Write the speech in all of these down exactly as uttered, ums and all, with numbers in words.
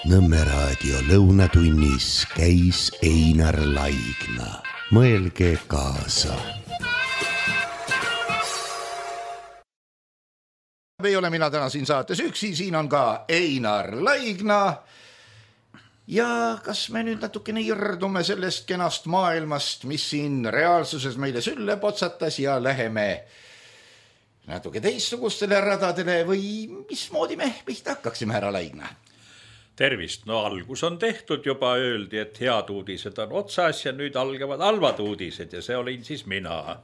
Nõmme raadio lõunatunnis käis Einar Laigna. Mõelge kaasa. Ei ole mina täna siin saates üksi, siin on ka Einar Laigna. Ja kas me nüüd natukene irdume sellest kenast maailmast, mis siin reaalsuses meile sülle potsatas ja läheme natuke teistsugustele radadele või mismoodi me pihta hakkaksime, härra Laigna? Tervist, no algus on tehtud, juba öeldi, et head uudised on otsas ja nüüd algavad halvad uudised ja see olin siis mina.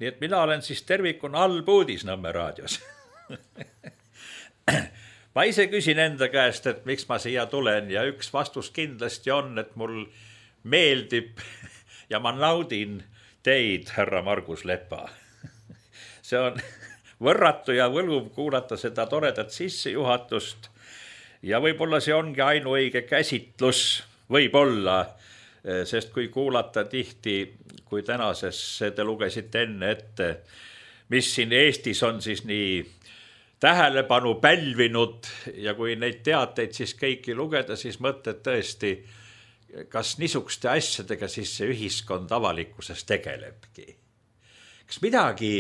Nii et mina olen siis tervikuna halb uudis Nõmme raadios. Ma ise küsin enda käest, et miks ma siia tulen ja üks vastus kindlasti on, et mul meeldib ja ma naudin teid, härra Margus Lepa. See on võrratu ja võluv kuulata seda toredat sissejuhatust ja võib-olla see ongi ainuõige käsitlus, võib-olla, sest kui kuulata tihti, kui tänases te lugesite enne ette, mis siin Eestis on siis nii tähelepanu pälvinud ja kui neid teateid siis kõiki lugeda, siis mõtled tõesti, kas niisuguste asjadega siis see ühiskond avalikkuses tegelebki. Kas midagi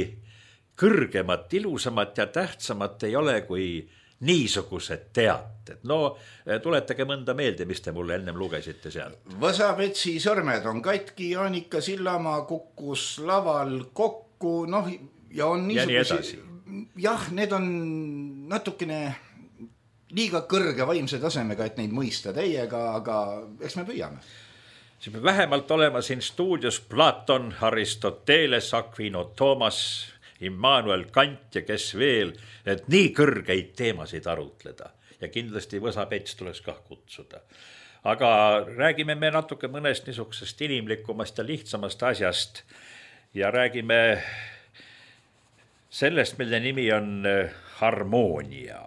kõrgemat, ilusamat ja tähtsamat ei ole kui niisugused teated. No tuletage mõnda meelde, mis te mulle ennem lugesite seal. Võsavetsi sõrmed on katki, Jaanika Sillamaa kukkus laval kokku, noh, ja on niisugusi... Jah, need on natukene liiga kõrge vaimse tasemega, et neid mõista teiega, aga eks me püüame. See peab vähemalt olema siin stuudios Platon, Aristoteles, Aquino Thomas, Immanuel Kant ja kes veel, et nii kõrgeid teemasid arutleda ja kindlasti Võsapets tuleks kah kutsuda. Aga räägime me natuke mõnest niisugusest inimlikumast ja lihtsamast asjast ja räägime sellest, mille nimi on harmoonia.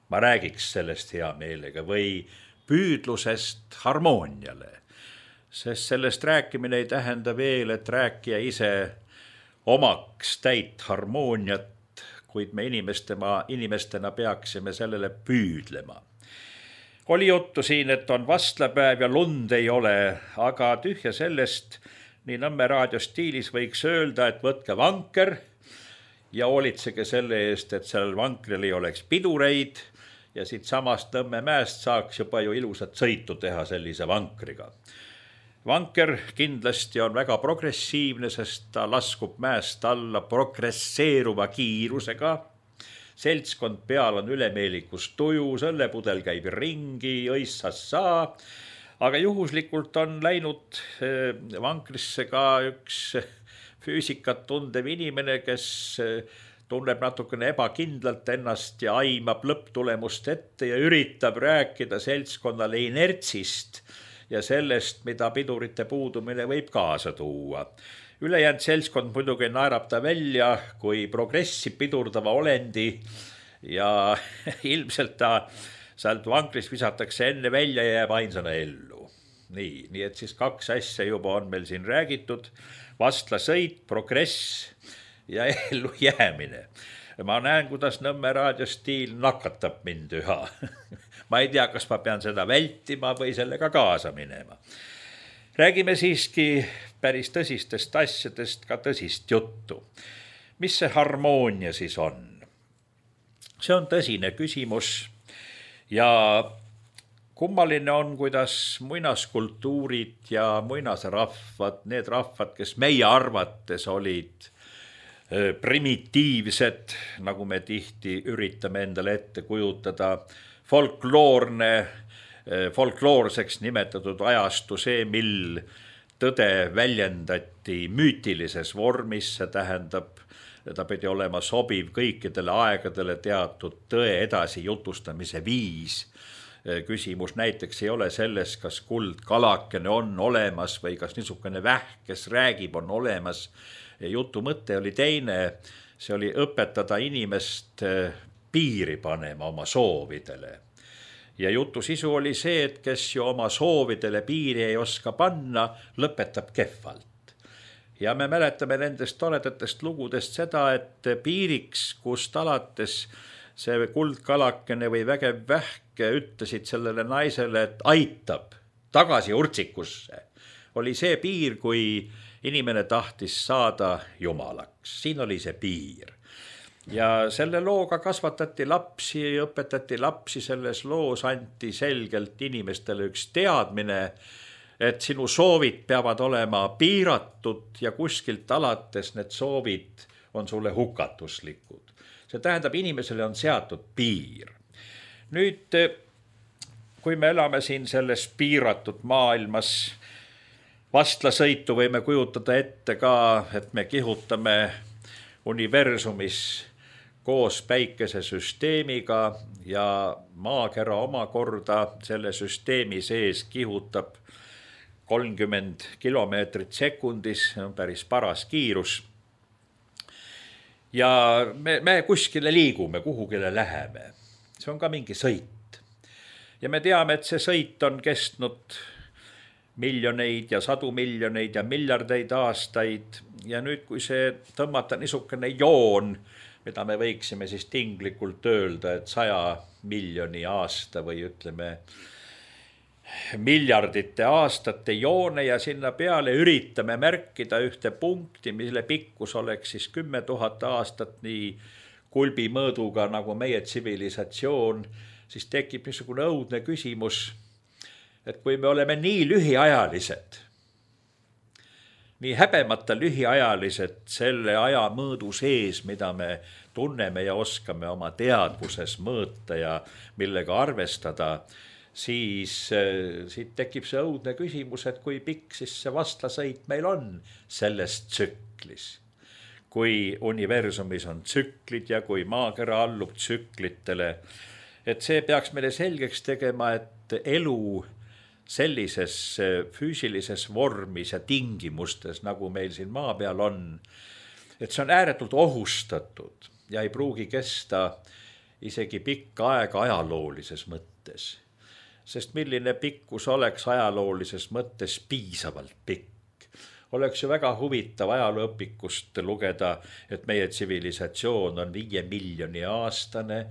Ma räägiks sellest hea meelega või püüdlusest harmooniale, sest sellest rääkimine ei tähenda veel, et rääkija ise omaks täit harmooniat, kuid me inimestena, inimestena peaksime sellele püüdlema. Oli juttu siin, et on vastlapäev ja lund ei ole, aga tühja sellest, nii Nõmme raadio stiilis võiks öelda, et võtke vanker ja hoolitsege selle eest, et sellel vankril ei oleks pidureid ja siit samast Nõmme mäest saaks juba ju ilusat sõitu teha sellise vankriga. Vanker kindlasti on väga progressiivne, sest ta laskub mäest alla progresseeruva kiirusega. Seltskond peal on ülemeelikus tuju, selle pudel käib ringi, õissas saa. Aga juhuslikult on läinud vankrisse ka üks füüsikat tundev inimene, kes tunneb natukene ebakindlalt ennast ja aimab lõpptulemust ette ja üritab rääkida seltskonnale inertsist ja sellest, mida pidurite puudumine võib kaasa tuua. Ülejäänud seltskond muidugi naerab ta välja kui progressi pidurdava olendi ja ilmselt ta sealt vankrist visatakse enne välja ja jääb ainsana ellu. Nii, nii et siis kaks asja juba on meil siin räägitud. Vastla sõit, progress ja ellu jäämine. Ma näen, kuidas Nõmme raadiostiil nakatab mind üha. Ma ei tea, kas ma pean seda vältima või sellega kaasa minema. Räägime siiski päris tõsistest asjadest, ka tõsist juttu. Mis see harmoonia siis on? See on tõsine küsimus ja kummaline on, kuidas muinaskultuurid ja muinasrahvad, need rahvad, kes meie arvates olid primitiivsed, nagu me tihti üritame endale ette kujutada, folkloorne, folkloorseks nimetatud ajastu see, mil tõde väljendati müütilises vormis, see tähendab, ta pidi olema sobiv kõikidele aegadele teatud tõe edasi jutustamise viis. Küsimus näiteks ei ole selles, kas kuld kalakene on olemas või kas niisugune vähk, kes räägib, on olemas. Jutu mõte oli teine, see oli õpetada inimest piiri panema oma soovidele. Ja jutu sisu oli see, et kes ju oma soovidele piiri ei oska panna, lõpetab kehvalt. Ja me mäletame nendest toredatest lugudest seda, et piiriks, kust alates see kuldkalakene või vägev vähke ütlesid sellele naisele, et aitab tagasi urtsikusse, oli see piir, kui inimene tahtis saada jumalaks. Siin oli see piir. Ja selle looga kasvatati lapsi, õpetati lapsi, selles loos anti selgelt inimestele üks teadmine, et sinu soovid peavad olema piiratud ja kuskilt alates need soovid on sulle hukatuslikud. See tähendab, inimesele on seatud piir. Nüüd, kui me elame siin selles piiratud maailmas, vastlasõitu võime kujutada ette ka, et me kihutame universumis koos päikesesüsteemiga ja maakera omakorda selle süsteemi sees kihutab kolmkümmend kilomeetrit sekundis, on päris paras kiirus. Ja me, me kuskile liigume, kuhugile läheme. See on ka mingi sõit. Ja me teame, et see sõit on kestnud miljoneid ja sadu miljoneid ja miljardeid aastaid. Ja nüüd, kui see tõmmata niisugune joon, mida me võiksime siis tinglikult öelda, et saja miljoni aasta või ütleme miljardite aastate joone ja sinna peale üritame märkida ühte punkti, mille pikkus oleks siis kümme tuhat aastat nii kulbi mõõduga nagu meie tsivilisatsioon, siis tekib niisugune õudne küsimus, et kui me oleme nii lühiajalised, nii häbemata lühiajalised selle aja mõõdu sees, mida me tunneme ja oskame oma teadvuses mõõta ja millega arvestada, siis siit tekib see õudne küsimus, et kui pikk siis see vastlasõit meil on selles tsüklis. Kui universumis on tsüklid ja kui maakera allub tsüklitele, et see peaks meile selgeks tegema, et elu sellises füüsilises vormis ja tingimustes, nagu meil siin maa peal on, et see on ääretult ohustatud ja ei pruugi kesta isegi pikka aega ajaloolises mõttes. Sest milline pikkus oleks ajaloolises mõttes piisavalt pikk. Oleks ju väga huvitav ajalooõpikust lugeda, et meie tsivilisatsioon on viie miljoni aastane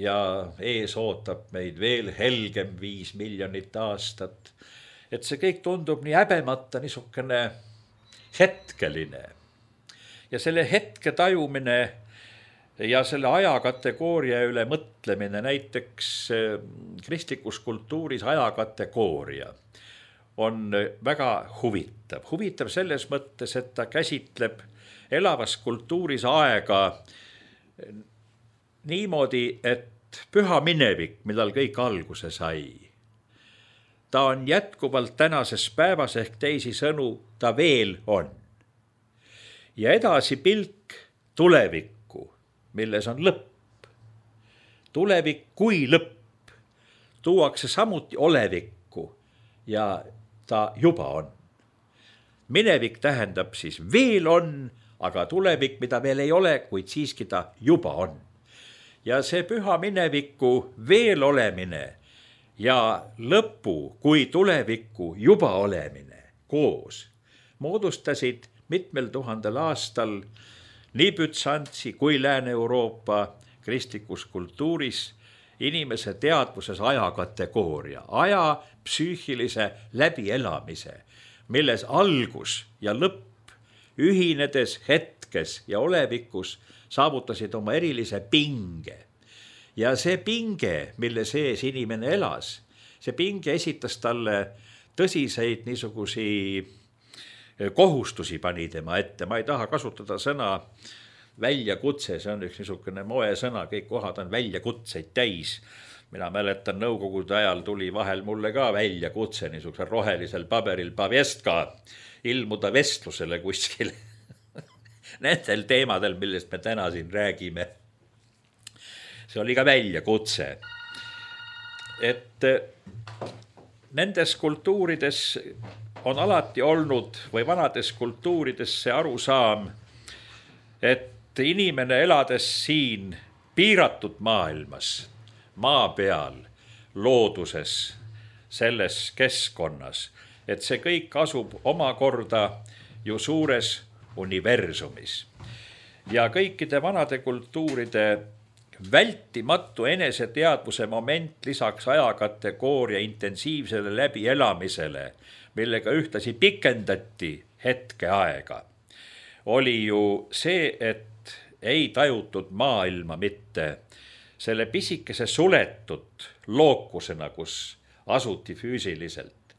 ja ees ootab meid veel helgem viis miljonit aastat. Et see kõik tundub nii häbemata niisugune hetkeline. Ja selle hetke tajumine ja selle ajakategooria üle mõtlemine, näiteks kristlikus kultuuris ajakategooria on väga huvitav. Huvitav selles mõttes, et ta käsitleb elavas kultuuris aega niimoodi, et püha minevik, millal kõik alguse sai, ta on jätkuvalt tänases päevas ehk teisi sõnu, ta veel on. Ja edasi pilk tulevikku, milles on lõpp. Tulevik kui lõpp tuuakse samuti olevikku ja ta juba on. Minevik tähendab siis veel on, aga tulevik, mida veel ei ole, kuid siiski ta juba on. Ja see püha mineviku veel olemine ja lõpu kui tuleviku juba olemine koos moodustasid mitmel tuhandel aastal nii Bütsantsi kui Lääne-Euroopa kristlikus kultuuris inimese teadvuses ajakategooria, aja psüühilise läbielamise, milles algus ja lõpp ühinedes hetkes ja olevikus saavutasid oma erilise pinge. Ja see pinge, mille sees inimene elas, see pinge esitas talle tõsiseid niisugusi kohustusi pani tema ette. Ma ei taha kasutada sõna väljakutse, see on üks niisugune moe sõna, kõik kohad on väljakutseid täis. Mina mäletan, nõukogude ajal tuli vahel mulle ka väljakutse niisugusel rohelisel paberil Pavestka ilmuda vestlusele kuskil nendel teemadel, millest me täna siin räägime. See oli ka väljakutse. Et nendes kultuurides on alati olnud või vanades kultuurides see arusaam, et inimene elades siin piiratud maailmas, maa peal, looduses, selles keskkonnas, et see kõik asub omakorda ju suures universumis. Ja kõikide vanade kultuuride vältimatu eneseteadvuse moment lisaks ajakategooria intensiivsele läbielamisele, millega ühtlasi pikendati hetkeaega, oli ju see, et ei tajutud maailma mitte selle pisikese suletud lookusena, kus asuti füüsiliselt,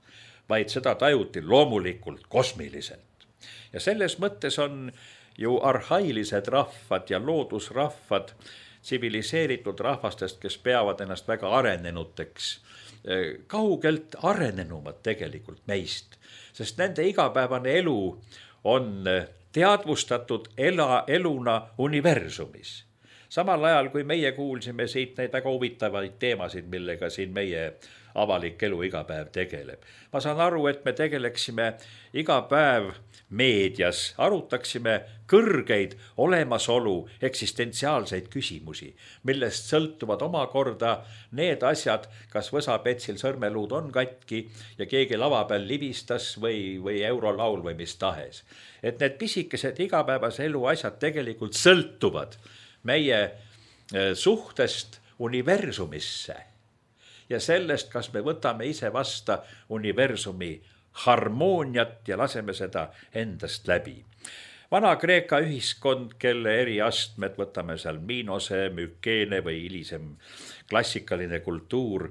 vaid seda tajuti loomulikult kosmiliselt. Ja selles mõttes on ju arhailised rahvad ja loodusrahvad tsiviliseeritud rahvastest, kes peavad ennast väga arenenuteks, kaugelt arenenumad tegelikult meist, sest nende igapäevane elu on teadvustatud ela, eluna universumis. Samal ajal, kui meie kuulsime siit neid väga huvitavaid teemasid, millega siin meie avalik elu iga päev tegeleb. Ma saan aru, et me tegeleksime iga päev meedias, arutaksime kõrgeid olemasolu eksistentsiaalseid küsimusi, millest sõltuvad omakorda need asjad, kas võsapetsil sõrmeluud on katki ja keegi lava peal libistas või, või eurolaul või mis tahes. Et need pisikesed igapäevase elu asjad tegelikult sõltuvad meie suhtest universumisse ja sellest, kas me võtame ise vasta universumi harmooniat ja laseme seda endast läbi. Vana-Kreeka ühiskond, kelle eri astmed, võtame seal Minose, Mükeene või hilisem klassikaline kultuur,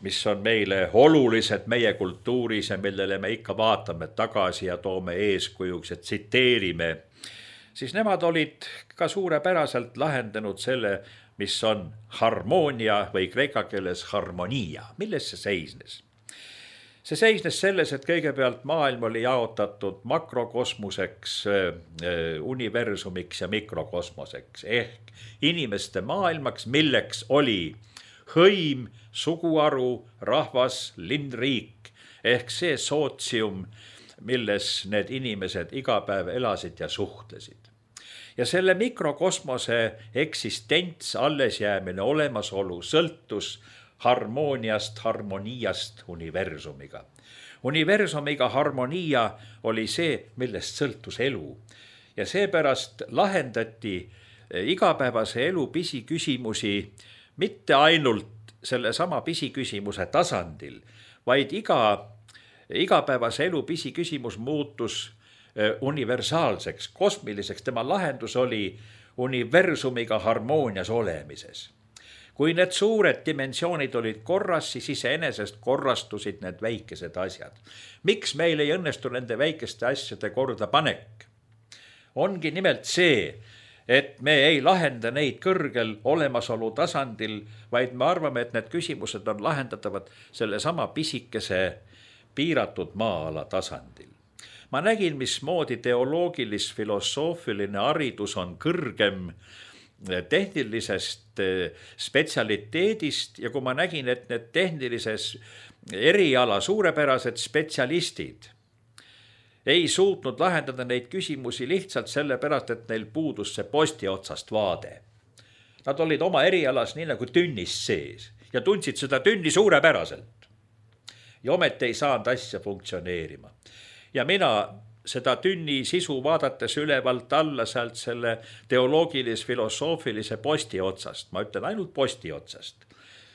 mis on meile olulised meie kultuuris ja millele me ikka vaatame tagasi ja toome eeskujuks ja tsiteerime, siis nemad olid ka suurepäraselt lahendanud selle, mis on harmoonia või kreeka keeles harmonia. Milles see seisnes? See seisnes selles, et kõigepealt maailm oli jaotatud makrokosmoseks, universumiks ja mikrokosmoseks ehk inimeste maailmaks, milleks oli hõim, suguharu, rahvas, linn, riik ehk see sootsium, milles need inimesed iga päev elasid ja suhtlesid. Ja selle mikrokosmose eksistents, allesjäämine, olemasolu sõltus harmooniast, harmoniast universumiga. Universumiga harmonia oli see, millest sõltus elu. Ja seepärast lahendati igapäevase elu pisiküsimusi mitte ainult selle sama pisiküsimuse tasandil, vaid iga, igapäevase elu pisiküsimus muutus universaalseks, kosmiliseks. Tema lahendus oli universumiga harmoonias olemises. Kui need suured dimensioonid olid korras, siis iseenesest korrastusid need väikesed asjad. Miks meil ei õnnestu nende väikeste asjade korda panek? Ongi nimelt see, et me ei lahenda neid kõrgel olemasolu tasandil, vaid me arvame, et need küsimused on lahendatavad selle sama pisikese piiratud maa-ala tasandil. Ma nägin, mismoodi teoloogilis-filosoofiline haridus on kõrgem tehnilisest spetsialiteedist ja kui ma nägin, et need tehnilises eriala suurepärased spetsialistid ei suutnud lahendada neid küsimusi lihtsalt sellepärast, et neil puudus see posti otsast vaade. Nad olid oma erialas nii nagu tünnis sees ja tundsid seda tünni suurepäraselt. Ja ometi ei saanud asja funktsioneerima. Ja mina seda tünni sisu vaadates ülevalt alla sealt selle teoloogilis-filosoofilise posti otsast, ma ütlen ainult posti otsast.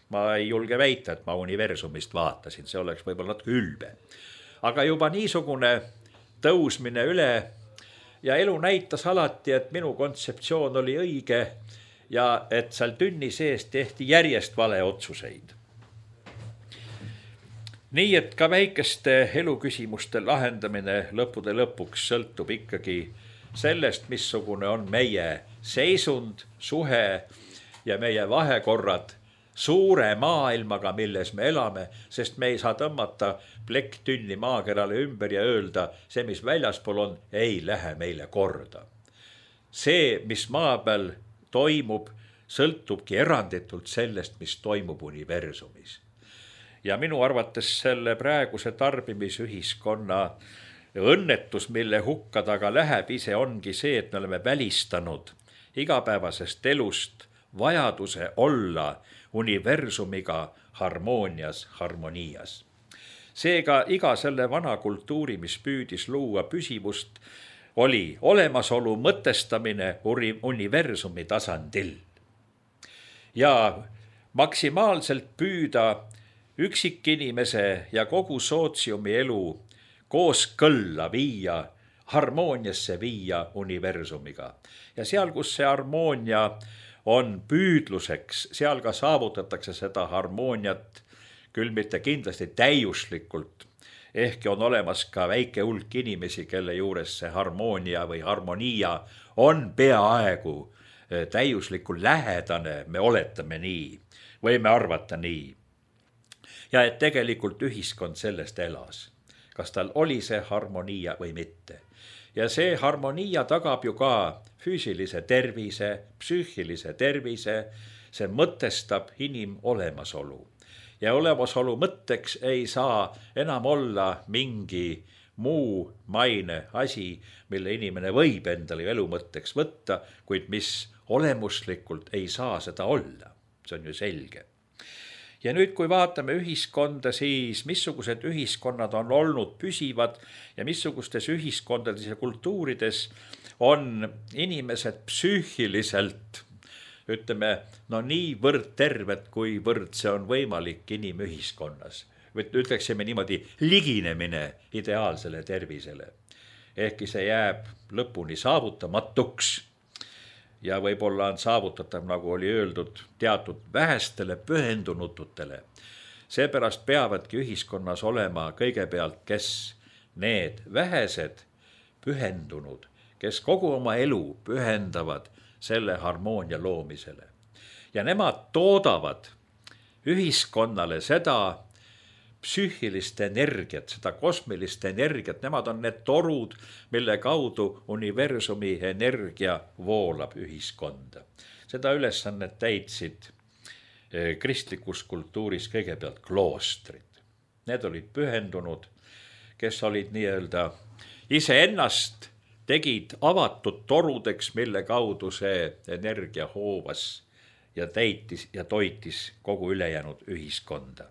Ma ei julge väita, et ma universumist vaatasin, see oleks võib-olla natuke ülbe. Aga juba niisugune tõusmine üle ja elu näitas alati, et minu kontseptsioon oli õige ja et seal tünni sees tehti järjest vale otsuseid. Nii et ka väikeste eluküsimuste lahendamine lõppude lõpuks sõltub ikkagi sellest, missugune on meie seisund, suhe ja meie vahekorrad suure maailmaga, milles me elame, sest me ei saa tõmmata plekk tünni maakerale ümber ja öelda, see, mis väljaspool on, ei lähe meile korda. See, mis maa peal toimub, sõltubki eranditult sellest, mis toimub universumis. Ja minu arvates selle praeguse tarbimisühiskonna õnnetus, mille hukka taga läheb ise, ongi see, et me oleme välistanud igapäevasest elust vajaduse olla universumiga harmoonias, harmonias. Seega iga selle vana kultuuri, mis püüdis luua püsivust, oli olemasolu mõtestamine universumi tasandil. ja maksimaalselt püüda üksikinimese ja kogu sootsiumi elu kooskõlla viia, harmooniasse viia universumiga. Ja seal, kus see harmoonia on püüdluseks, seal ka saavutatakse seda harmooniat, küll mitte kindlasti täiuslikult. Ehkki on olemas ka väike hulk inimesi, kelle juures see harmoonia või harmonia on peaaegu täiuslikul lähedane, me oletame nii, võime arvata nii. Ja et tegelikult ühiskond sellest elas, kas tal oli see harmonia või mitte. Ja see harmonia tagab ju ka füüsilise tervise, psüühilise tervise, see mõtestab inim olemasolu. Ja olemasolu mõtteks ei saa enam olla mingi muu maine asi, mille inimene võib endale elu mõtteks võtta, kuid mis olemuslikult ei saa seda olla. See on ju selge. Ja nüüd, kui vaatame ühiskonda, siis missugused ühiskonnad on olnud püsivad ja missugustes ühiskondades ja kultuurides on inimesed psüühiliselt, ütleme, no niivõrd terved, kuivõrd see on võimalik inimühiskonnas. Ütleksime niimoodi liginemine ideaalsele tervisele. Ehkki see jääb lõpuni saavutamatuks ja võib-olla on saavutatav, nagu oli öeldud, teatud vähestele pühendunututele. Seepärast peavadki ühiskonnas olema kõigepealt, kes need vähesed pühendunud, kes kogu oma elu pühendavad selle harmoonia loomisele. Ja nemad toodavad ühiskonnale seda psüühilist energiat, seda kosmilist energiat, nemad on need torud, mille kaudu universumi energia voolab ühiskonda. Seda ülesannet täitsid kristlikus kultuuris kõigepealt kloostrid. Need olid pühendunud, kes olid nii-öelda iseennast tegid avatud torudeks, mille kaudu see energia hoovas ja täitis ja toitis kogu ülejäänud ühiskonda.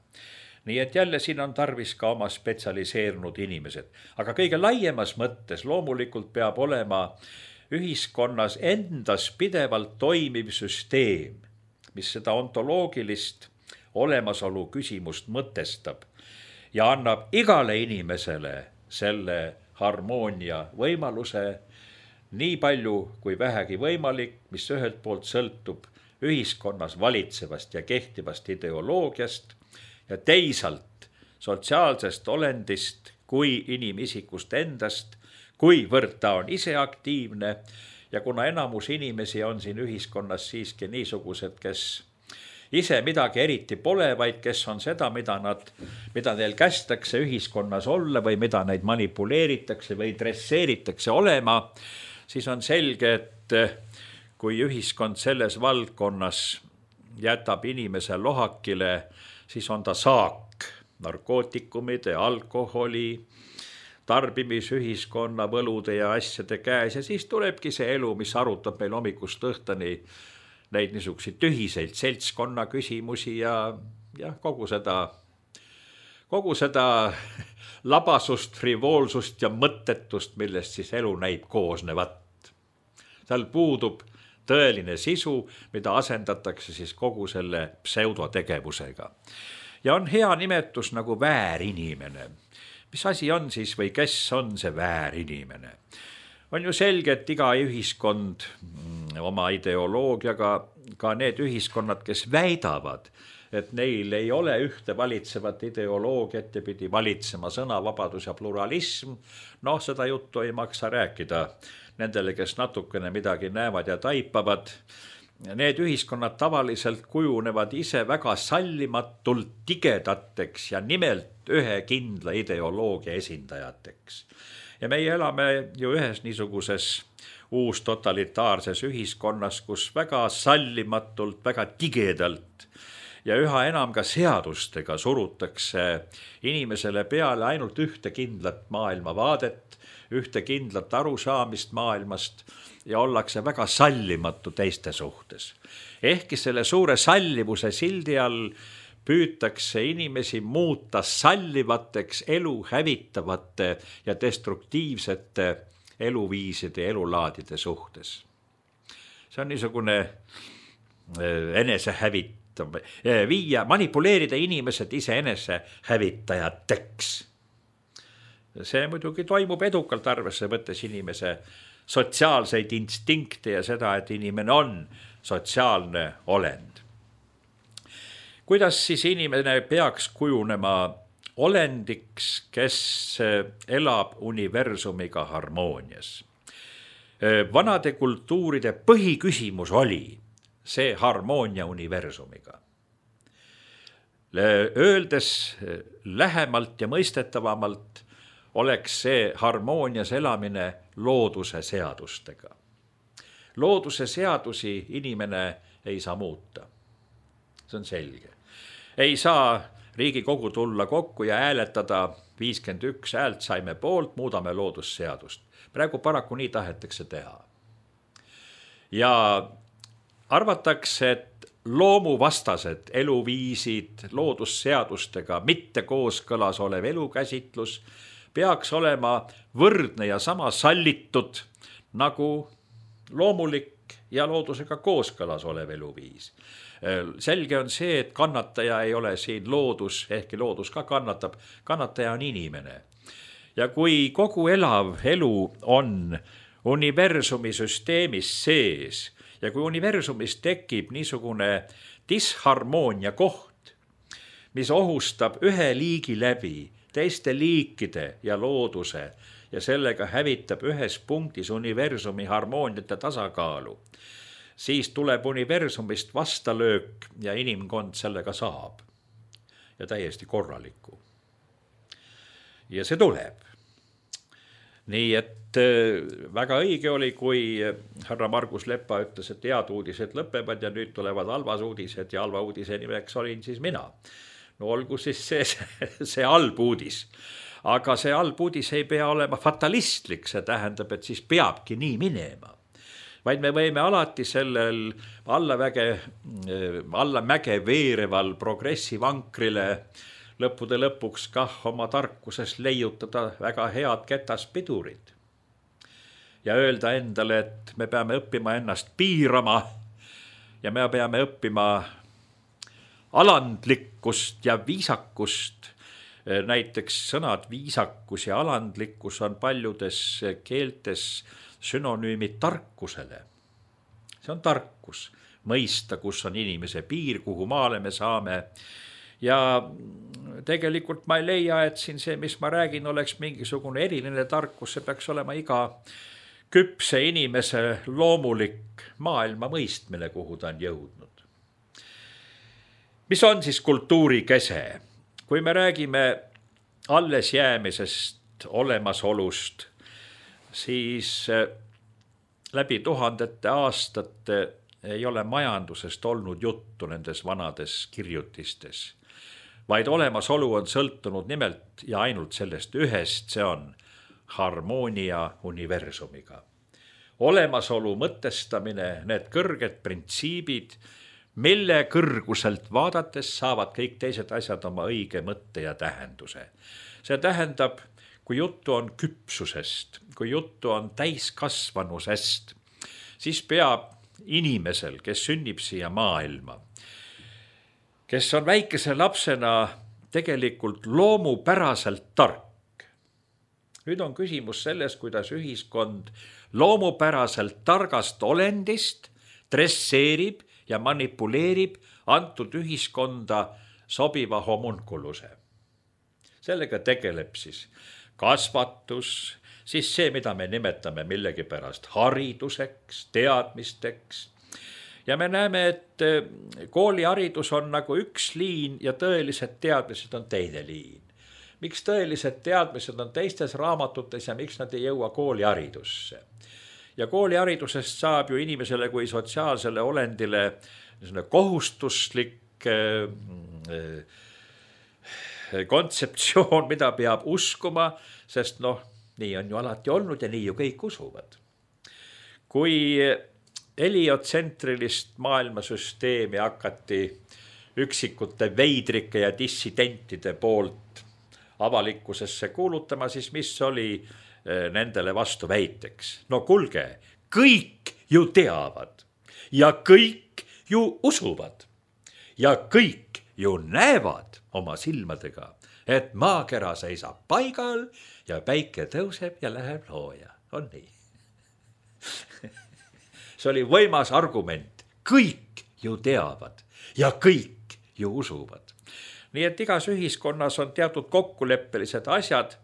Nii et jälle siin on tarvis ka oma spetsialiseerunud inimesed. Aga kõige laiemas mõttes loomulikult peab olema ühiskonnas endas pidevalt toimiv süsteem, mis seda ontoloogilist olemasolu küsimust mõtestab ja annab igale inimesele selle harmoonia võimaluse nii palju kui vähegi võimalik, mis ühelt poolt sõltub ühiskonnas valitsevast ja kehtivast ideoloogiast ja teisalt sotsiaalsest olendist kui inimisikust endast, kuivõrd ta on ise aktiivne ja kuna enamus inimesi on siin ühiskonnas siiski niisugused, kes ise midagi eriti pole, vaid kes on seda, mida, nad, mida neil kästakse ühiskonnas olla või mida neid manipuleeritakse või dresseeritakse olema, siis on selge, et kui ühiskond selles valdkonnas jätab inimese lohakile, siis on ta saak narkootikumide, alkoholi, tarbimisühiskonna, võlude ja asjade käes ja siis tulebki see elu, mis arutab meil hommikust õhtani neid niisuguseid tühiseid seltskonna küsimusi ja, ja kogu seda, kogu seda labasust, frivoolsust ja mõttetust, millest siis elu näib koosnevat. Seal puudub tõeline sisu, mida asendatakse siis kogu selle pseudotegevusega. Ja on hea nimetus nagu väärinimene. Mis asi on siis või kes on see väärinimene? On ju selge, et iga ühiskond oma ideoloogiaga, ka need ühiskonnad, kes väidavad, et neil ei ole ühte valitsevat ideoloogiat ja pidi valitsema sõnavabadus ja pluralism, noh, seda juttu ei maksa rääkida nendele, kes natukene midagi näevad ja taipavad. Need ühiskonnad tavaliselt kujunevad ise väga sallimatult tigedateks ja nimelt ühe kindla ideoloogia esindajateks. Ja meie elame ju ühes niisuguses uus totalitaarses ühiskonnas, kus väga sallimatult, väga tigedalt ja üha enam ka seadustega surutakse inimesele peale ainult ühte kindlat maailmavaadet, ühte kindlat arusaamist maailmast ja ollakse väga sallimatu teiste suhtes. Ehkki selle suure sallivuse sildi all püütakse inimesi muuta sallivateks, elu hävitavate ja destruktiivsete eluviiside ja elulaadide suhtes. See on niisugune enese hävitama, viia, manipuleerida inimesed ise enese hävitajateks. See muidugi toimub edukalt arvesse võttes inimese sotsiaalseid instinkte ja seda, et inimene on sotsiaalne olend. Kuidas siis inimene peaks kujunema olendiks, kes elab universumiga harmoonias? Vanade kultuuride põhiküsimus oli see harmoonia universumiga. Öeldes lähemalt ja mõistetavamalt oleks see harmoonias elamine looduse seadustega. Looduse seadusi inimene ei saa muuta. See on selge. Ei saa Riigikogu tulla kokku ja hääletada viiskümmend üks häält saime poolt, muudame loodusseadust. Praegu paraku nii tahetakse teha. Ja arvatakse, et loomuvastased eluviisid loodusseadustega mitte kooskõlas olev elukäsitlus peaks olema võrdne ja sama sallitud nagu loomulik ja loodusega kooskõlas olev eluviis. Selge on see, et kannataja ei ole siin loodus, ehkki loodus ka kannatab, kannataja on inimene. Ja kui kogu elav elu on universumi süsteemis sees ja kui universumis tekib niisugune disharmoonia koht, mis ohustab ühe liigi läbi teiste liikide ja looduse ja sellega hävitab ühes punktis universumi harmooniate tasakaalu, siis tuleb universumist vastalöök ja inimkond sellega saab. Ja täiesti korraliku. Ja see tuleb. Nii et väga õige oli, kui härra Margus Lepa ütles, et head uudised lõpevad ja nüüd tulevad halvas uudised ja halva uudise nimeks olin siis mina. No olgu siis see, see, see halb uudis. Aga see halb uudis ei pea olema fatalistlik, see tähendab, et siis peabki nii minema. Vaid me võime alati sellel allamäge, allamäge veereval progressivankrile lõppude lõpuks kah oma tarkuses leiutada väga head ketaspidurid. Ja öelda endale, et me peame õppima ennast piirama ja me peame õppima alandlikkust ja viisakust. Näiteks sõnad viisakus ja alandlikkus on paljudes keeltes synonüümid tarkusele. See on tarkus, mõista, kus on inimese piir, kuhu maale me saame. Ja tegelikult ma ei leia, et siin see, mis ma räägin, oleks mingisugune eriline tarkus, see peaks olema iga küpse inimese loomulik maailma mõistmine, kuhu ta on jõudnud. Mis on siis kultuuri kese? Kui me räägime alles jäämisest, olemasolust, siis läbi tuhandete aastate ei ole majandusest olnud juttu nendes vanades kirjutistes, vaid olemasolu on sõltunud nimelt ja ainult sellest ühest, see on harmoonia universumiga. Olemasolu mõtestamine, need kõrged printsiibid, mille kõrguselt vaadates saavad kõik teised asjad oma õige mõtte ja tähenduse. See tähendab, kui juttu on küpsusest, kui juttu on täiskasvanusest, siis peab inimesel, kes sünnib siia maailma, kes on väikese lapsena tegelikult loomupäraselt tark. Nüüd on küsimus selles, kuidas ühiskond loomupäraselt targast olendist dresseerib ja manipuleerib antud ühiskonda sobiva homunkuluse. Sellega tegeleb siis kasvatus, siis see, mida me nimetame millegi pärast hariduseks, teadmisteks. Ja me näeme, et kooliharidus on nagu üks liin ja tõelised teadmised on teine liin. Miks tõelised teadmised on teistes raamatutes ja miks nad ei jõua kooliharidusse? Ja kooliharidusest saab ju inimesele kui sotsiaalsele olendile kohustuslik kontseptsioon, mida peab uskuma, sest noh, nii on ju alati olnud ja nii ju kõik usuvad. Kui heliotsentrilist maailmasüsteemi hakati üksikute veidrike ja dissidentide poolt avalikkusesse kuulutama, siis mis oli nendele vastu väiteks? No kulge, kõik ju teavad ja kõik ju usuvad ja kõik ju näevad oma silmadega, et maakera seisab paigal ja päike tõuseb ja läheb looja. On nii? See oli võimas argument. Kõik ju teavad ja kõik ju usuvad. Nii et igas ühiskonnas on teatud kokkuleppelised asjad.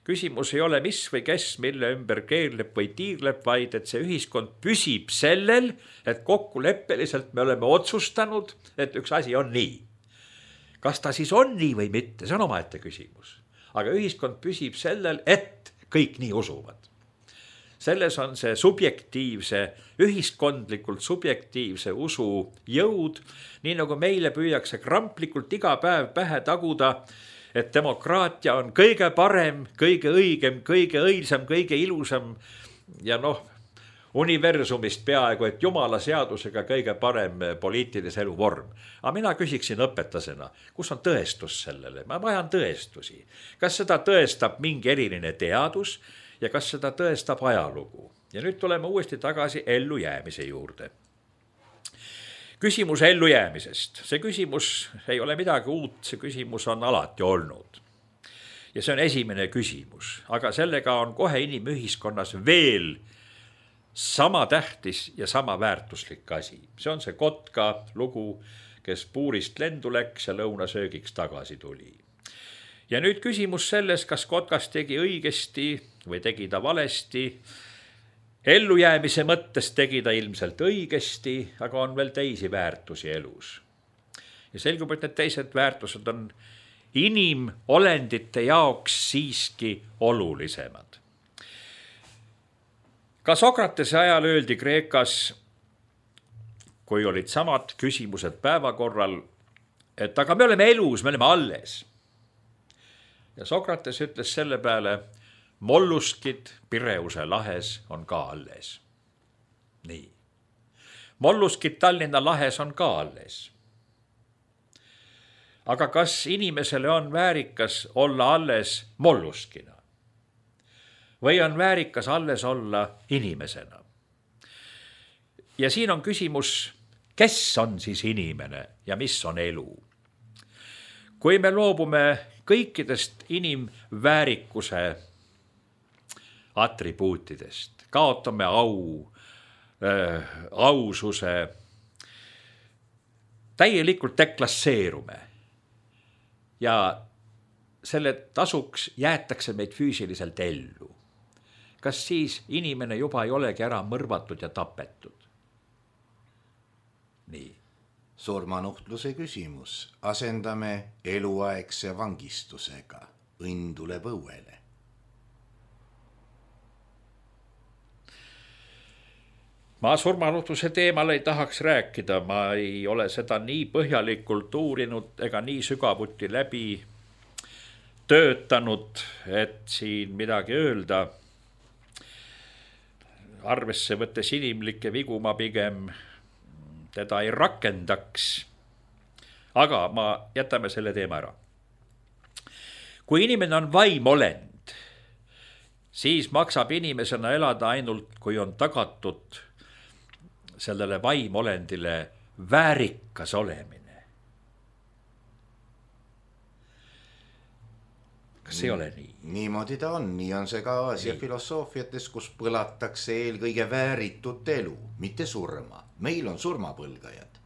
Küsimus ei ole mis või kes, mille ümber keerleb või tiirleb, vaid et see ühiskond püsib sellel, et kokkuleppeliselt me oleme otsustanud, et üks asi on nii. Kas ta siis on nii või mitte, see on omaette küsimus. Aga ühiskond püsib sellel, et kõik nii usuvad. Selles on see subjektiivse, ühiskondlikult subjektiivse usu jõud, nii nagu meile püüakse kramplikult iga päev pähe taguda, et demokraatia on kõige parem, kõige õigem, kõige õilsam, kõige ilusam ja noh, universumist peaaegu, et jumala seadusega kõige parem poliitilise elu vorm. Aga mina küsiksin õpetasena, kus on tõestus sellele? Ma vajan tõestusi. Kas seda tõestab mingi eriline teadus ja kas seda tõestab ajalugu? Ja nüüd tuleme uuesti tagasi ellujäämise juurde. Küsimus ellujäämisest. See küsimus ei ole midagi uut, see küsimus on alati olnud. Ja see on esimene küsimus, aga sellega on kohe inimühiskonnas veel sama tähtis ja sama väärtuslik asi. See on see kotka lugu, kes puurist lendu läks ja lõunasöögiks tagasi tuli. Ja nüüd küsimus selles, kas kotkas tegi õigesti või tegi ta valesti. Ellujäämise mõttes tegi ta ilmselt õigesti, aga on veel teisi väärtusi elus. Ja selgub, et need teised väärtused on inimolendite jaoks siiski olulisemad. Ka Sokratese ajal öeldi Kreekas, kui olid samad küsimused päevakorral, et aga me oleme elus, me oleme alles. Ja Sokrates ütles selle peale, molluskid Pireuse lahes on ka alles. Nii. Molluskid Tallinna lahes on ka alles. Aga kas inimesele on väärikas olla alles molluskina? Või on väärikas alles olla inimesena? Ja siin on küsimus, kes on siis inimene ja mis on elu? Kui me loobume kõikidest inimväärikuse atribuutidest, kaotame au, äh, aususe, täielikult deklasseerume ja selle tasuks jäetakse meid füüsiliselt ellu. Kas siis inimene juba ei olegi ära mõrvatud ja tapetud? Nii. Surmanuhtluse küsimus. Asendame eluaegse vangistusega. Õnn tuleb õuele. Ma surmanuhtluse teemal ei tahaks rääkida. Ma ei ole seda nii põhjalikult uurinud ega nii sügavuti läbi töötanud, et siin midagi öelda. Arvesse võttes inimlikke vigu ma pigem teda ei rakendaks. Aga ma jätame selle teema ära. Kui inimene on vaimolend, siis maksab inimesena elada ainult, kui on tagatud sellele vaimolendile väärikas olemine. Kas ei ole nii? Niimoodi ta on, nii on see ka Aasia filosoofiates, kus põlatakse eelkõige vääritut elu, mitte surma. Meil on surmapõlgajad.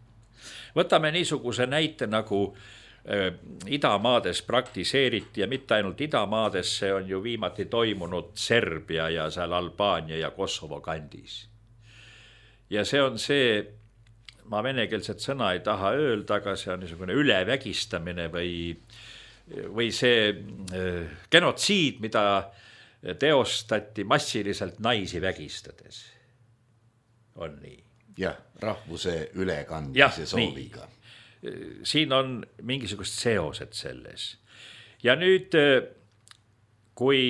Võtame niisuguse näite nagu äh, idamaades praktiseeriti ja mitte ainult idamaades, see on ju viimati toimunud Serbia ja seal Albaania ja Kosovo kandis. Ja see on see, ma venekeelset sõna ei taha öelda, aga see on niisugune ülevägistamine või või see genotsiid, mida teostati massiliselt naisi vägistades. On nii. Jah, rahvuse ülekandmise sooviga. Nii. Siin on mingisugust seosed selles. Ja nüüd, kui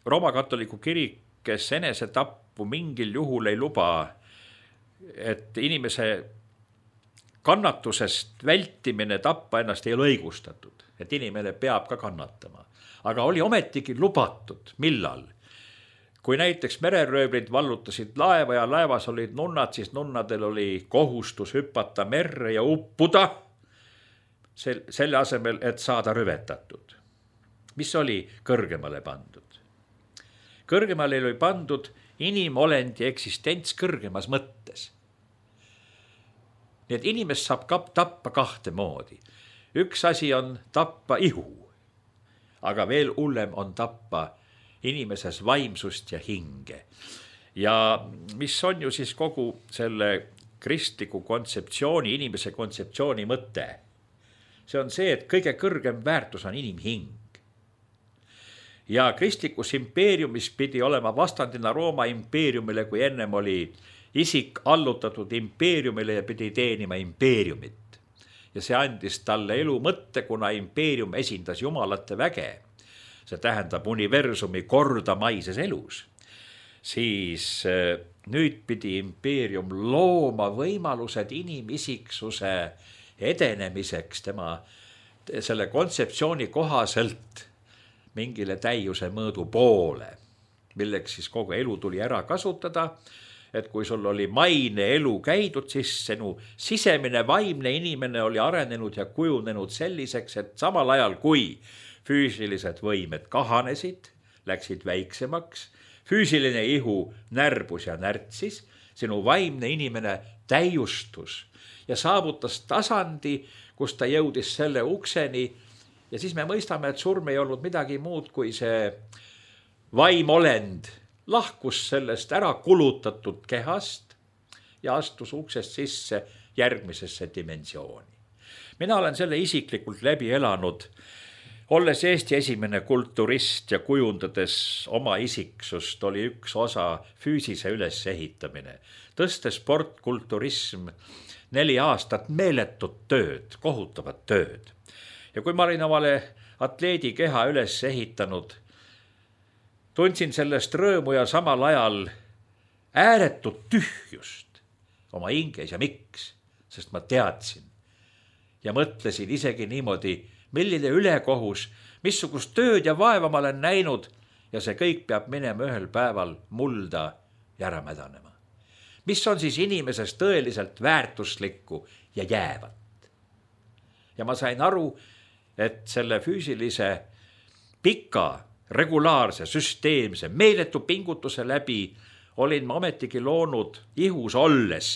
Rooma katoliku kirik, kes enesetappu mingil juhul ei luba, et inimese kannatusest vältimine tappa ennast ei ole õigustatud, et inimene peab ka kannatama. Aga oli ometigi lubatud, millal? kui näiteks mereröövlid vallutasid laeva ja laevas olid nunnad, siis nunnadel oli kohustus hüpata merre ja uppuda selle asemel, et saada rüvetatud. Mis oli kõrgemale pandud? Kõrgemale oli pandud inimolendi eksistents kõrgemas mõttes. Nii et inimest saab tappa kahte moodi. Üks asi on tappa ihu, aga veel hullem on tappa inimeses vaimsust ja hinge. Ja mis on ju siis kogu selle kristliku kontseptsiooni, inimese kontseptsiooni mõte? See on see, et kõige kõrgem väärtus on inimhing. Ja kristlikus impeeriumis pidi olema vastandina Rooma impeeriumile, kui ennem oli isik allutatud impeeriumile ja pidi teenima impeeriumit. Ja see andis talle elu mõtte, kuna impeerium esindas jumalate väge. See tähendab universumi kordamaises elus. Siis nüüd pidi impeerium looma võimalused inimisiksuse edenemiseks tema selle kontseptsiooni kohaselt mingile täiuse mõõdu poole, milleks siis kogu elu tuli ära kasutada, et kui sul oli maine elu käidud, siis sinu sisemine vaimne inimene oli arenenud ja kujunenud selliseks, et samal ajal kui füüsilised võimed kahanesid, läksid väiksemaks, füüsiline ihu närbus ja närtsis, sinu vaimne inimene täiustus ja saavutas tasandi, kus ta jõudis selle ukseni ja siis me mõistame, et surm ei olnud midagi muud kui see vaimolend lahkus sellest ära kulutatud kehast ja astus uksest sisse järgmisesse dimensiooni. Mina olen selle isiklikult läbi elanud, olles Eesti esimene kulturist ja kujundades oma isiksust oli üks osa füüsise ülesehitamine. Tõstes sport, kulturism, neli aastat meeletut tööd, kohutavat tööd. Ja kui ma olin omale atleedi keha üles ehitanud, tundsin sellest rõõmu ja samal ajal ääretut tühjust oma hinges ja miks, sest ma teadsin ja mõtlesin isegi niimoodi, milline ülekohus, missugust tööd ja vaeva ma olen näinud ja see kõik peab minema ühel päeval mulda ja ära mädanema. Mis on siis inimeses tõeliselt väärtuslikku ja jäävat? Ja ma sain aru, et selle füüsilise pika regulaarse, süsteemse, meeletu pingutuse läbi olin ma ometigi loonud ihus olles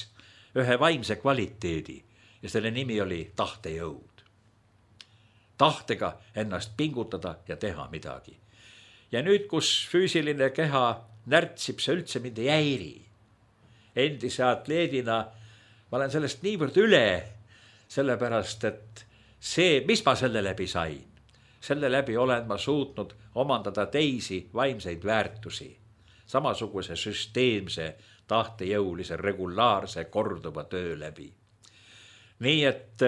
ühe vaimse kvaliteedi ja selle nimi oli tahtejõud. Tahtega ennast pingutada ja teha midagi. Ja nüüd, kus füüsiline keha närtsib, see üldse mind ei häiri. Endise atleedina ma olen sellest niivõrd üle, sellepärast, et see, mis ma selle läbi sain, selle läbi olen ma suutnud omandada teisi vaimseid väärtusi, samasuguse süsteemse, tahtejõulise, regulaarse, korduva töö läbi. Nii et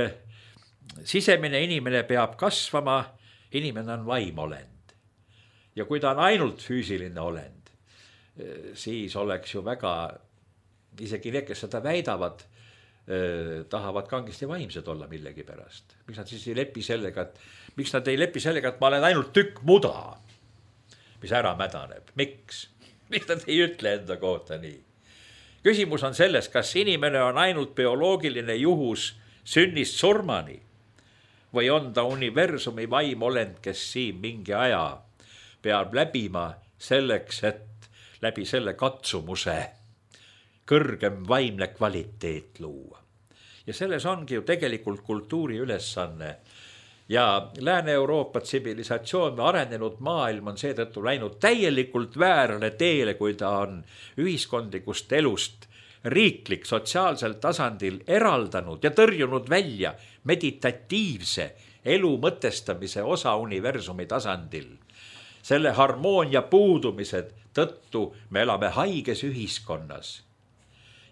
sisemine inimene peab kasvama, inimene on vaimolend. Ja kui ta on ainult füüsiline olend, siis oleks ju väga, isegi need, kes seda väidavad, tahavad kangesti vaimsed olla millegi pärast. Miks nad siis ei lepi sellega, et, miks nad ei lepi sellega, et ma olen ainult tükk muda, mis ära mädaneb. Miks? Miks nad ei ütle enda kohta nii? Küsimus on selles, kas inimene on ainult bioloogiline juhus sünnist surmani või on ta universumi vaimolend, kes siin mingi aja peab läbima selleks, et läbi selle katsumuse kõrgem vaimne kvaliteet luua. Ja selles ongi ju tegelikult kultuuri ülesanne. Ja Lääne-Euroopa tsivilisatsioon, arenenud maailm on seetõttu läinud täielikult väärale teele, kui ta on ühiskondlikust elust riiklik sotsiaalsel tasandil eraldanud ja tõrjunud välja meditatiivse elu mõtestamise osa universumi tasandil. Selle harmoonia puudumise tõttu me elame haiges ühiskonnas.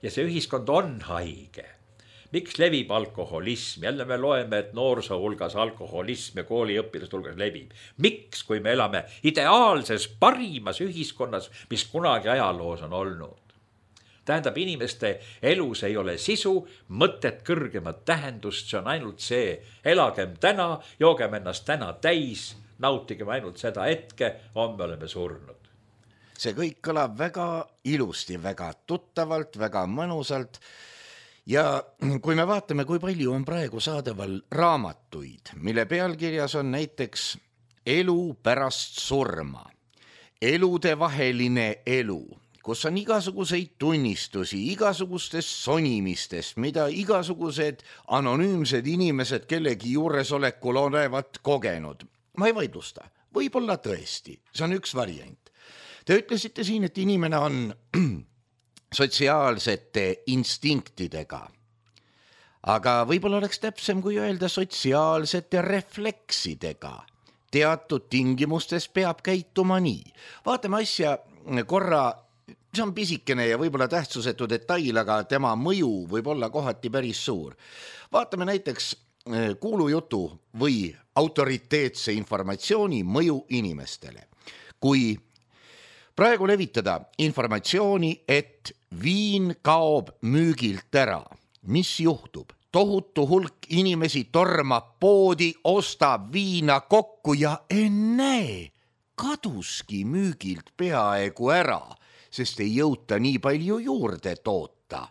Ja see ühiskond on haige. Miks levib alkoholism? Jälle me loeme, et noorsoo hulgas alkoholism ja kooliõpilaste hulgas levib. Miks, kui me elame ideaalses, parimas ühiskonnas, mis kunagi ajaloos on olnud? Tähendab, inimeste elus ei ole sisu, mõtet, kõrgemat tähendust, see on ainult see, elagem täna, joogem ennast täna täis, nautigem ainult seda hetke, homme oleme surnud. see kõik kõlab väga ilusti, väga tuttavalt, väga mõnusalt. Ja kui me vaatame, kui palju on praegu saadaval raamatuid, mille pealkirjas on näiteks elu pärast surma, eludevaheline elu, kus on igasuguseid tunnistusi, igasugustest sonimistest, mida igasugused anonüümsed inimesed kellegi juuresolekul olevat kogenud. Ma ei vaidlusta, võib-olla tõesti, see on üks variant. Te ütlesite siin, et inimene on sotsiaalsete instinktidega, aga võib-olla oleks täpsem, kui öelda sotsiaalsete refleksidega. Teatud tingimustes peab käituma nii. Vaatame asja korra, see on pisikene ja võib-olla tähtsusetu detail, aga tema mõju võib olla kohati päris suur. Vaatame näiteks kuulujutu või autoriteetse informatsiooni mõju inimestele. Kui praegu levitada informatsiooni, et viin kaob müügilt ära, mis juhtub? Tohutu hulk inimesi tormab poodi, ostab viina kokku ja ennäe, kaduski müügilt peaaegu ära, sest ei jõuta nii palju juurde toota.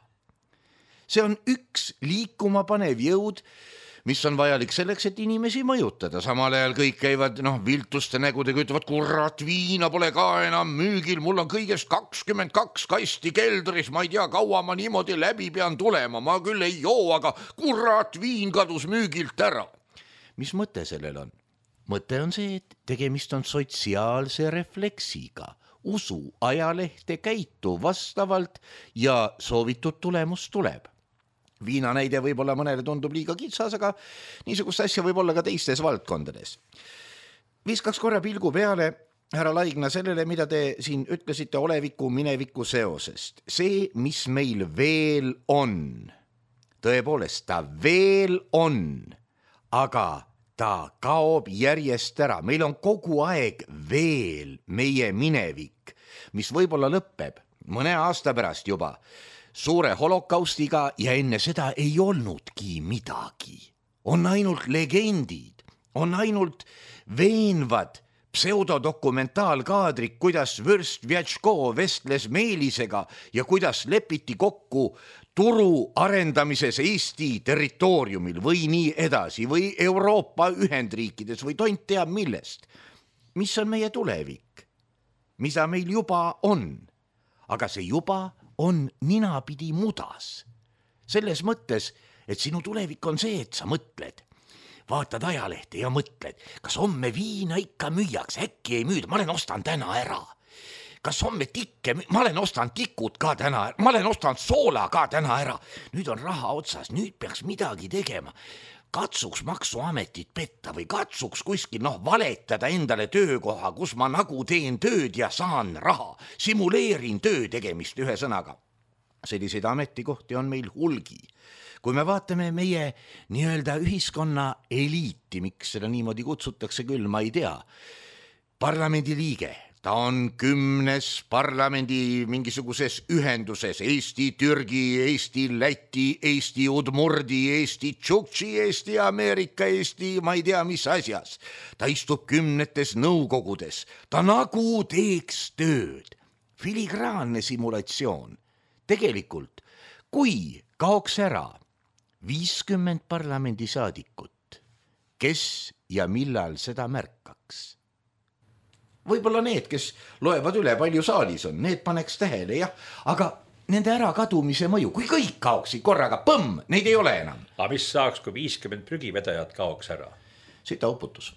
See on üks liikuma panev jõud, mis on vajalik selleks, et inimesi mõjutada. Samal ajal kõik käivad noh, viltuste nägudega, ütlevad, kurat, viina pole ka enam müügil, mul on kõigest kakskümmend kaks kasti keldris, ma ei tea, kaua ma niimoodi läbi pean tulema, ma küll ei joo, aga kurat, viin kadus müügilt ära. Mis mõte sellel on? Mõte on see, et tegemist on sotsiaalse refleksiga. Usu ajalehte, käitu vastavalt ja soovitud tulemus tuleb. Viina näide võib-olla mõnele tundub liiga kitsas, aga niisugust asja võib olla ka teistes valdkondades. Viskaks korra pilgu peale, härra Laigna, sellele, mida te siin ütlesite oleviku mineviku seosest. See, mis meil veel on, tõepoolest ta veel on, aga ta kaob järjest ära. Meil on kogu aeg veel meie minevik, mis võib-olla lõpeb mõne aasta pärast juba suure holokaustiga ja enne seda ei olnudki midagi. On ainult legendid, on ainult veenvad pseudodokumentaalkaadrid, kuidas Vürst Vjatško vestles Meelisega ja kuidas lepiti kokku turu arendamises Eesti territooriumil või nii edasi või Euroopa Ühendriikides või tont teab millest. Mis on meie tulevik? Mida meil juba on? Aga see juba on ninapidi mudas. Selles mõttes, et sinu tulevik on see, et sa mõtled. Vaatad ajalehte ja mõtled, kas homme viina ikka müüakse, äkki ei müüda, ma olen ostan täna ära. Kas homme tikke, ma olen ostan tikud ka täna ära, ma olen ostan soola ka täna ära. Nüüd on raha otsas, nüüd peaks midagi tegema. Katsuks maksuametit petta või katsuks kuskil noh, valetada endale töökoha, kus ma nagu teen tööd ja saan raha. Simuleerin töö tegemist ühe sõnaga. Selliseid ametikohti on meil hulgi. Kui me vaatame meie nii-öelda ühiskonna eliiti, miks seda niimoodi kutsutakse küll, ma ei tea. Parlamendi liige. Ta on kümnes parlamendi mingisuguses ühenduses, Eesti, Türgi, Eesti, Läti, Eesti, Udmurdi, Eesti, Tšuktši, Eesti, Ameerika, Eesti, ma ei tea, mis asjas. Ta istub kümnetes nõukogudes, ta nagu teeks tööd. Filigraanne simulatsioon. Tegelikult, kui kaoks ära viiskümmend parlamendisaadikut, kes ja millal seda märkaks? Võib-olla need, kes loevad üle, palju saalis on, need paneks tähele, jah, aga nende ära kadumise mõju, kui kõik kaoksid korraga, põmm, neid ei ole enam. Aga mis saaks, kui viiskümmend prügivedajat kaoks ära? Sita uputus.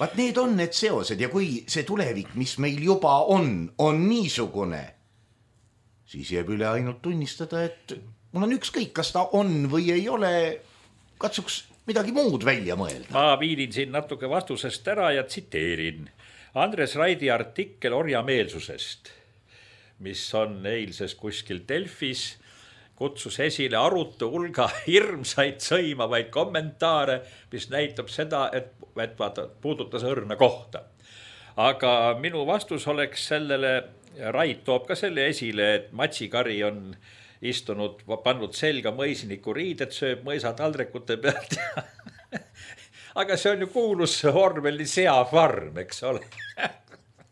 Vaat need on need seosed ja kui see tulevik, mis meil juba on, on niisugune, siis jääb üle ainult tunnistada, et mul on ükskõik, kas ta on või ei ole, katsuks midagi muud välja mõelda. Ma viidin siin natuke vastusest ära ja tsiteerin Andres Raidi artikkel orjameelsusest, mis on eilses kuskil Delfis, kutsus esile arutu hulga hirmsaid sõimavaid kommentaare, mis näitab seda, et, et vaata, puudutas õrna kohta. Aga minu vastus oleks sellele, Rait toob ka selle esile, et Matsikari on istunud, pannud selga mõisniku riided, sööb mõisataldrikute pealt. aga see on ju kuulus Orwelli Seafarm, eks ole.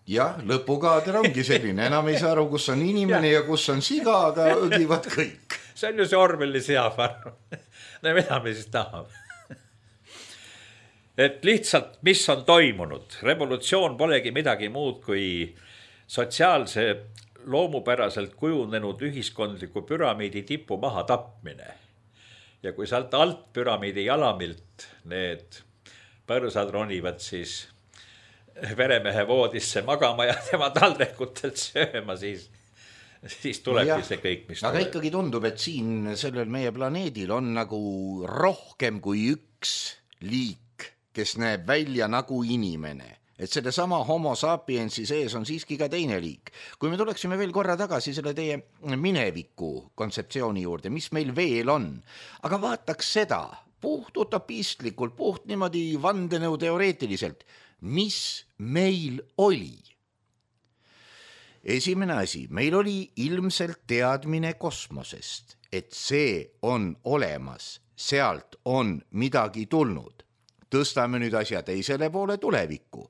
jah, lõpukaader ongi selline, enam ei saa aru, kus on inimene ja, ja kus on siga, aga õgivad kõik. see on ju see Orwelli Seafarm. no mida me siis tahame? et lihtsalt, mis on toimunud, revolutsioon polegi midagi muud kui sotsiaalse loomupäraselt kujunenud ühiskondliku püramiidi tipu maha tapmine. Ja kui sealt alt püramiidi jalamilt need põrsad ronivad siis veremehe voodisse magama ja tema taldekutelt sööma, siis, siis tulebki no see kõik, mis aga tuleb. ikkagi tundub, et siin sellel meie planeedil on nagu rohkem kui üks liik, kes näeb välja nagu inimene. Et selle sama homo sapiensi sees on siiski ka teine liik. Kui me tuleksime veel korra tagasi selle teie mineviku kontseptsiooni juurde, mis meil veel on, aga vaataks seda puht utopistlikult, puht niimoodi vandenõu teoreetiliselt, mis meil oli. Esimene asi, meil oli ilmselt teadmine kosmosest, et see on olemas, sealt on midagi tulnud. Tõstame nüüd asja teisele poole tulevikku.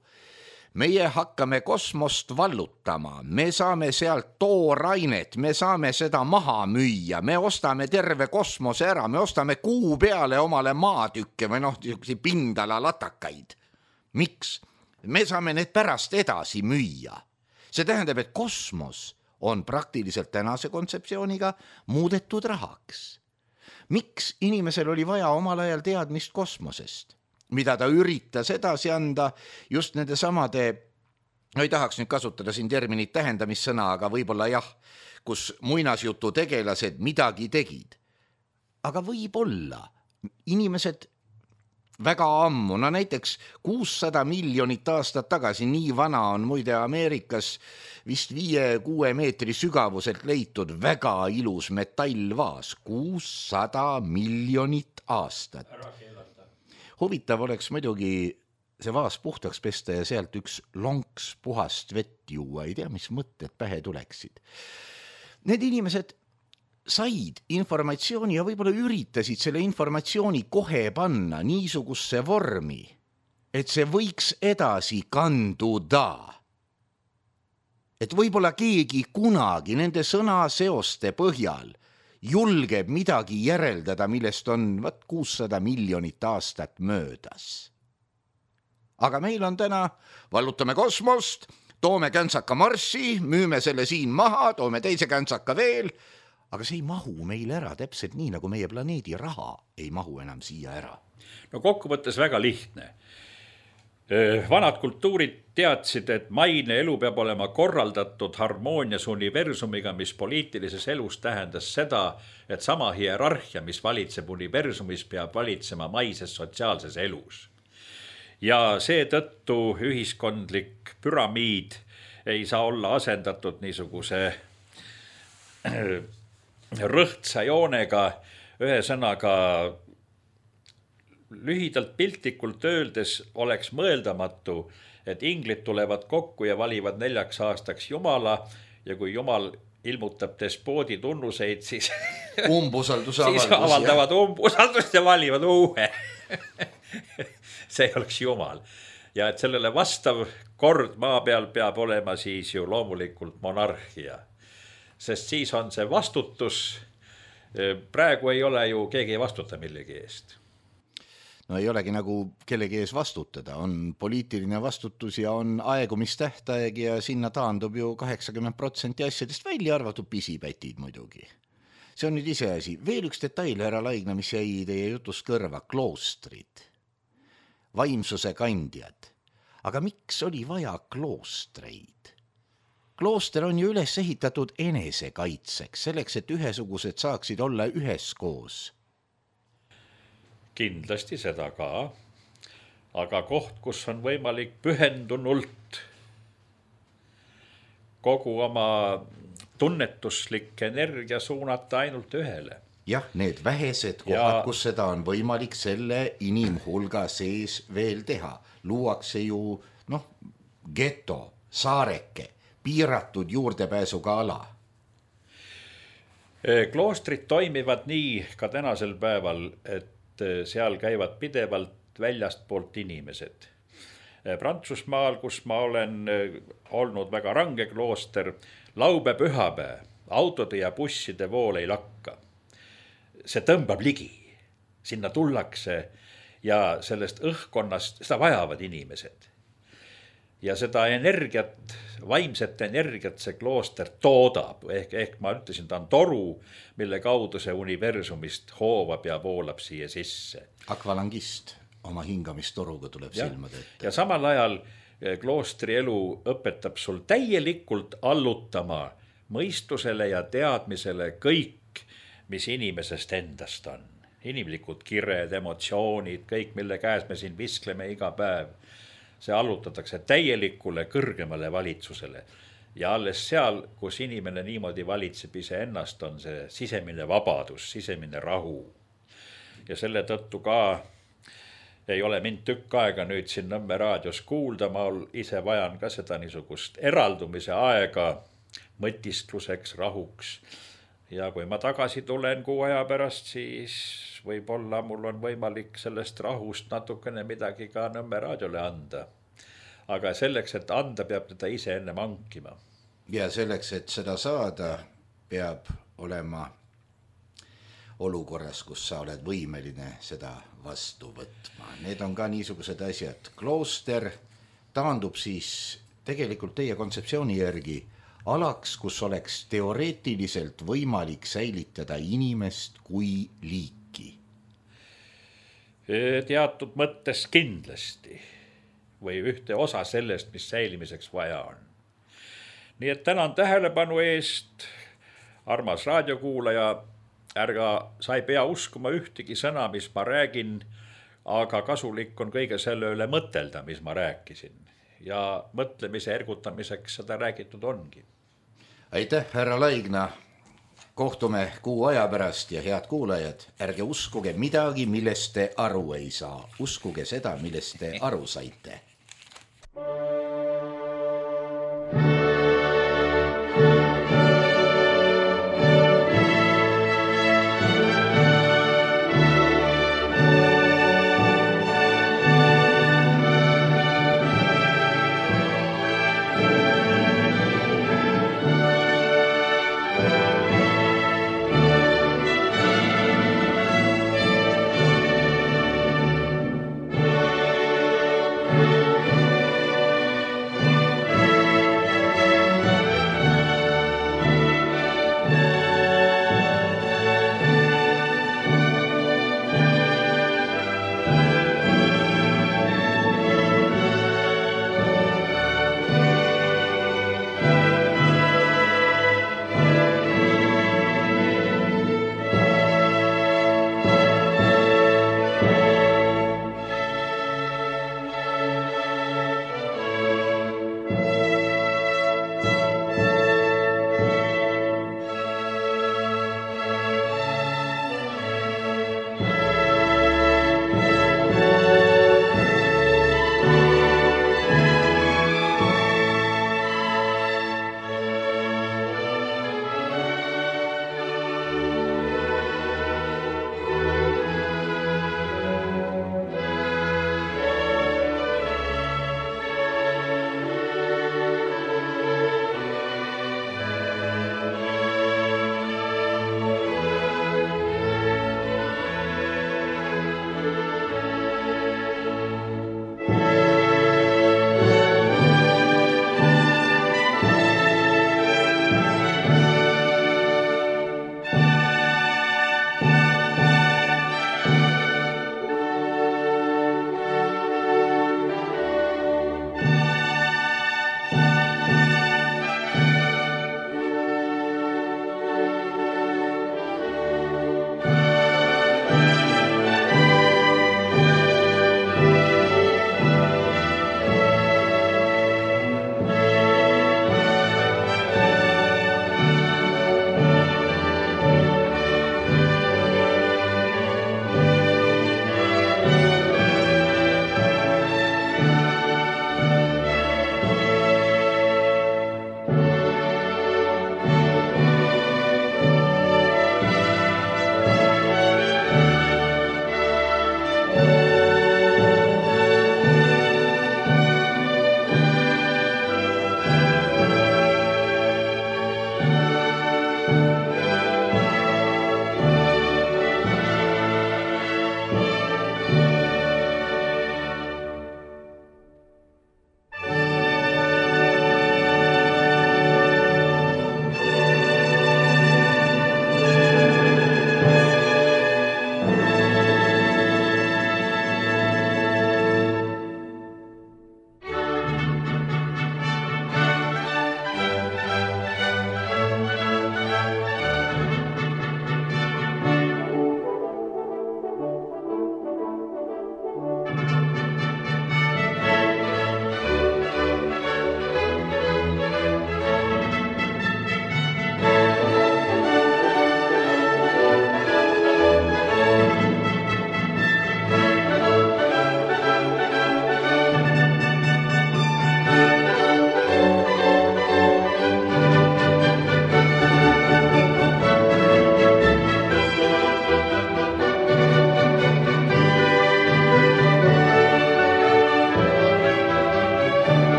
Meie hakkame kosmost vallutama, me saame sealt toorainet, me saame seda maha müüa, me ostame terve kosmose ära, me ostame kuu peale omale maatükke või noh, pindala latakaid. Miks? Me saame need pärast edasi müüa. See tähendab, et kosmos on praktiliselt tänase kontseptsiooniga muudetud rahaks. Miks inimesel oli vaja omal ajal teadmist kosmosest? Mida ta üritas edasi anda just nende samade, no ei tahaks nüüd kasutada siin terminit tähendamissõna, aga võib-olla jah, kus muinasjutu tegelased midagi tegid. Aga võib-olla inimesed väga ammu, no näiteks kuussada miljonit aastat tagasi, nii vana on muide Ameerikas vist viie-kuue meetri sügavuselt leitud väga ilus metallvaas, kuussada miljonit aastat. Huvitav oleks muidugi see vaas puhtaks pesta ja sealt üks lonks puhast vett juua, ei tea, mis mõtted pähe tuleksid. Need inimesed said informatsiooni ja võib-olla üritasid selle informatsiooni kohe panna niisugusse vormi, et see võiks edasi kanduda. Et võib-olla keegi kunagi nende sõnaseoste põhjal julgeb midagi järeldada, millest on vat kuussada miljonit aastat möödas. Aga meil on täna, vallutame kosmost, toome käntsaka Marssi, müüme selle siin maha, toome teise käntsaka veel, aga see ei mahu meil ära täpselt nii, nagu meie planeedi raha ei mahu enam siia ära. No kokkuvõttes väga lihtne. Vanad kultuurid teadsid, et maine elu peab olema korraldatud harmoonias universumiga, mis poliitilises elus tähendas seda, et sama hierarhia, mis valitseb universumis, peab valitsema maises sotsiaalses elus. Ja seetõttu ühiskondlik püramiid ei saa olla asendatud niisuguse rõhtsa joonega, ühesõnaga lühidalt piltlikult öeldes oleks mõeldamatu, et inglid tulevad kokku ja valivad neljaks aastaks Jumala ja kui Jumal ilmutab despoodi tunnuseid, siis, siis avaldavad umbusaldust ja valivad uue. see oleks Jumal. Ja et sellele vastav kord maa peal peab olema siis ju loomulikult monarhia. Sest siis on see vastutus, praegu ei ole ju keegi ei vastuta millegi eest. No ei olegi nagu kellegi ees vastutada, on poliitiline vastutus ja on aegumistähtaeg ja sinna taandub ju kaheksakümmend protsenti asjadest välja arvatud pisipätid muidugi. See on nüüd ise asi. Veel üks detail, härra Laigna, mis jäi teie jutust kõrva, kloostrid, vaimsuse kandjad. Aga miks oli vaja kloostreid? Klooster on ju üles ehitatud enesekaitseks, selleks, et ühesugused saaksid olla üheskoos. Kindlasti seda ka, aga koht, kus on võimalik pühendunult kogu oma tunnetuslik energia suunata ainult ühele. Jah, need vähesed kohad, ja kus seda on võimalik selle inimhulga sees veel teha. Luuakse ju, noh, geto, saareke, piiratud juurdepääsuga ala. Kloostrid toimivad nii ka tänasel päeval, et seal käivad pidevalt väljast poolt inimesed. Prantsusmaal, kus ma olen olnud väga range klooster, laupäev, pühapäev, autode ja busside vool ei lakka. See tõmbab ligi, sinna tullakse ja sellest õhkonnast, seda vajavad inimesed. Ja seda energiat, vaimset energiat see klooster toodab, ehk, ehk ma ütlesin, ta on toru, mille kaudu see universumist hoovab ja voolab siia sisse. Akvalangist oma hingamistoruga tuleb ja, silmade ette. Ja samal ajal kloostri elu õpetab sul täielikult allutama mõistusele ja teadmisele kõik, mis inimesest endast on. Inimlikud kired, emotsioonid, kõik, mille käes me siin viskleme iga päev. See allutatakse täielikule kõrgemale valitsusele. Ja alles seal, kus inimene niimoodi valitseb ise ennast, on see sisemine vabadus, sisemine rahu. Ja selle tõttu ka ei ole mind tükk aega nüüd siin Nõmme raadios kuulda, ma ise vajan ka seda niisugust eraldumise aega mõtiskluseks, rahuks. Ja kui ma tagasi tulen kuu aja pärast, siis võib-olla mul on võimalik sellest rahust natukene midagi ka Nõmme raadiole anda. Aga selleks, et anda, peab teda ise enne mankima. Ja selleks, et seda saada, peab olema olukorras, kus sa oled võimeline seda vastu võtma. Need on ka niisugused asjad. Klooster taandub siis tegelikult teie kontseptsiooni järgi alaks, kus oleks teoreetiliselt võimalik säilitada inimest kui liiki. Teatud mõttes kindlasti või ühte osa sellest, mis säilimiseks vaja on. Nii et tänan tähelepanu eest, armas raadiokuulaja. Ärga sa ei pea uskuma ühtegi sõna, mis ma räägin, aga kasulik on kõige selle üle mõtelda, mis ma rääkisin. Ja mõtlemise ergutamiseks seda räägitud ongi. Aitäh, härra Laigna. Kohtume kuu aja pärast ja head kuulajad, ärge uskuge midagi, millest te aru ei saa. Uskuge seda, millest te aru saite.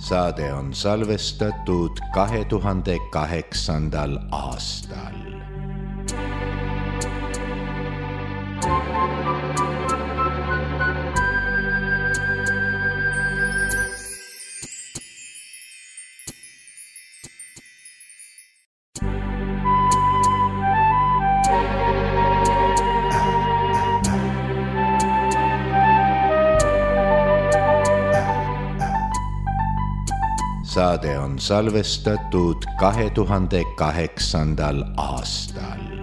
saade on salvestatud kahe tuhande kaheksandal aastal. Saade on salvestatud kahe tuhande kaheksandal aastal.